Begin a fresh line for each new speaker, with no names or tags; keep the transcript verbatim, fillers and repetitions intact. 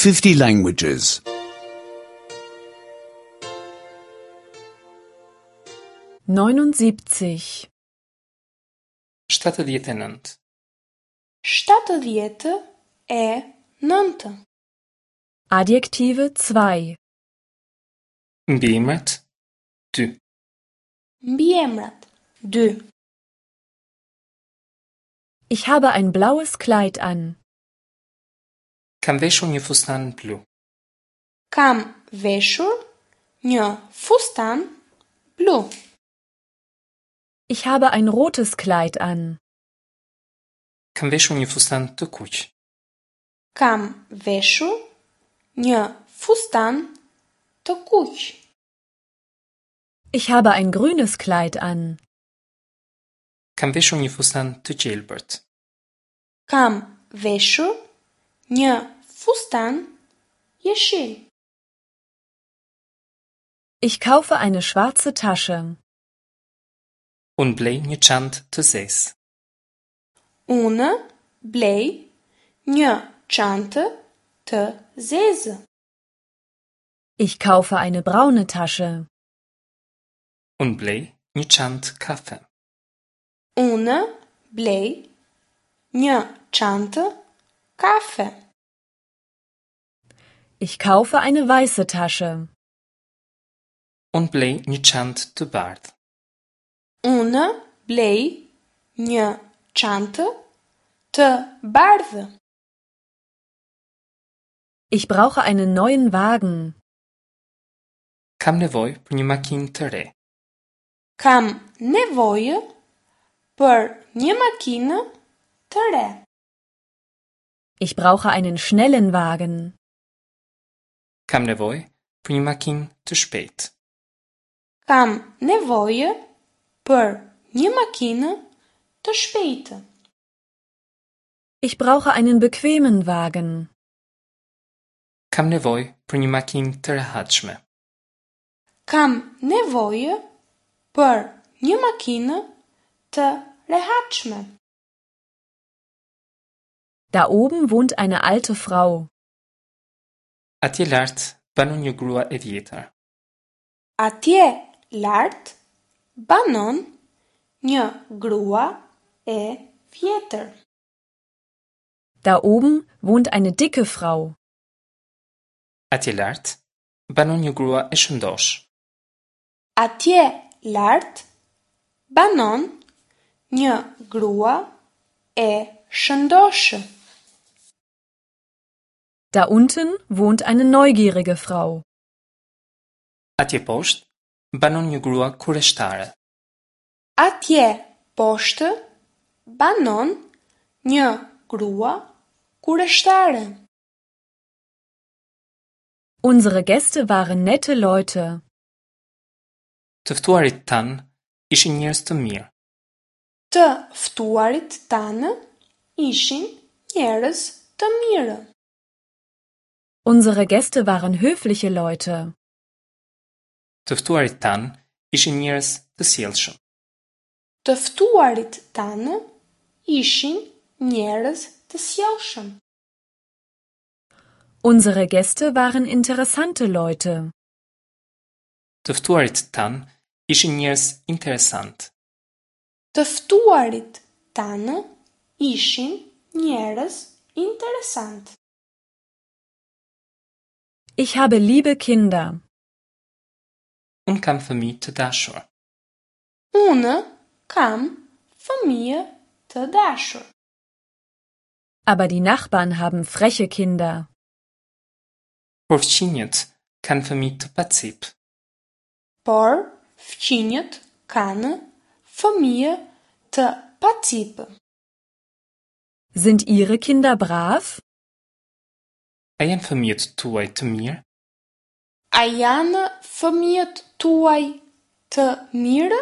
fifty languages.
neunundsiebzig
shtatëdhjetë e nëntë.
Shtatëdhjetë e nëntë.
Adjektive zwei.
Mbiemrat dy.
Mbiemrat dy.
Ich habe ein blaues Kleid an.
Kam veshur një fustan blu.
Kam veshur një fustan blu.
Ich habe ein rotes Kleid an.
Kam veshur një fustan të kuq.
Kam veshur një fustan të kuq.
Ich habe ein grünes Kleid an.
Kam veshur një fustan të gjelbërt.
Kam veshur një fustan jeshil.
Ich kaufe eine schwarze Tasche.
Unë blej një çantë të zezë.
Unë blej një çantë të zezë.
Ich kaufe eine braune Tasche.
Unë blej një çantë kafe.
Unë blej një çantë kafe.
Ich kaufe eine weiße Tasche.
Unë blej një çantë të bardhë.
Unë blej një çantë të bardhë.
Ich brauche einen neuen Wagen.
Kam nevojë për një makinë të re.
Kam nevojë për një makinë të re.
Ich brauche einen schnellen Wagen.
Kam nevojë për një makinë të shpejtë.
Kam nevojë për një makinë të shpejtë.
Ich brauche einen bequemen Wagen.
Kam nevojë për një makinë të rehatshme.
Kam nevojë për një makinë të rehatshme.
Da oben wohnt eine alte Frau.
Atje lart banon një grua e vjetër.
Atje lart banon një grua e vjetër.
Da oben wohnt eine dicke Frau.
Atje lart banon një grua e shëndoshë.
Atje lart banon një grua e shëndoshë.
Da unten wohnt eine neugierige Frau.
Atje poshtë banon një grua kureshtare.
Atje poshtë banon një grua kureshtare.
Unsere Gäste waren nette Leute.
Të ftuarit tanë ishin njerëz të mirë.
Të ftuarit tanë ishin njerëz të mirë.
Unsere Gäste waren höfliche Leute.
Të ftuarit tanë ishin njerëz të sjellshëm.
Të ftuarit tanë ishin njerëz të sjellshëm.
Unsere Gäste waren interessante Leute.
Të ftuarit tanë ishin njerëz interesant.
Të ftuarit tanë ishin njerëz interesant.
Ich habe liebe Kinder.
Unë kam fëmijë të dashur.
Unë kam fëmijë të dashur.
Aber die Nachbarn haben freche Kinder.
Por fqinjët kanë fëmijë të pacipë.
Por fqinjët kanë fëmijë të pacipë.
Sind Ihre Kinder brav?
A janë fëmijët tuaj të mirë?
A janë fëmijët tuaj të mirë?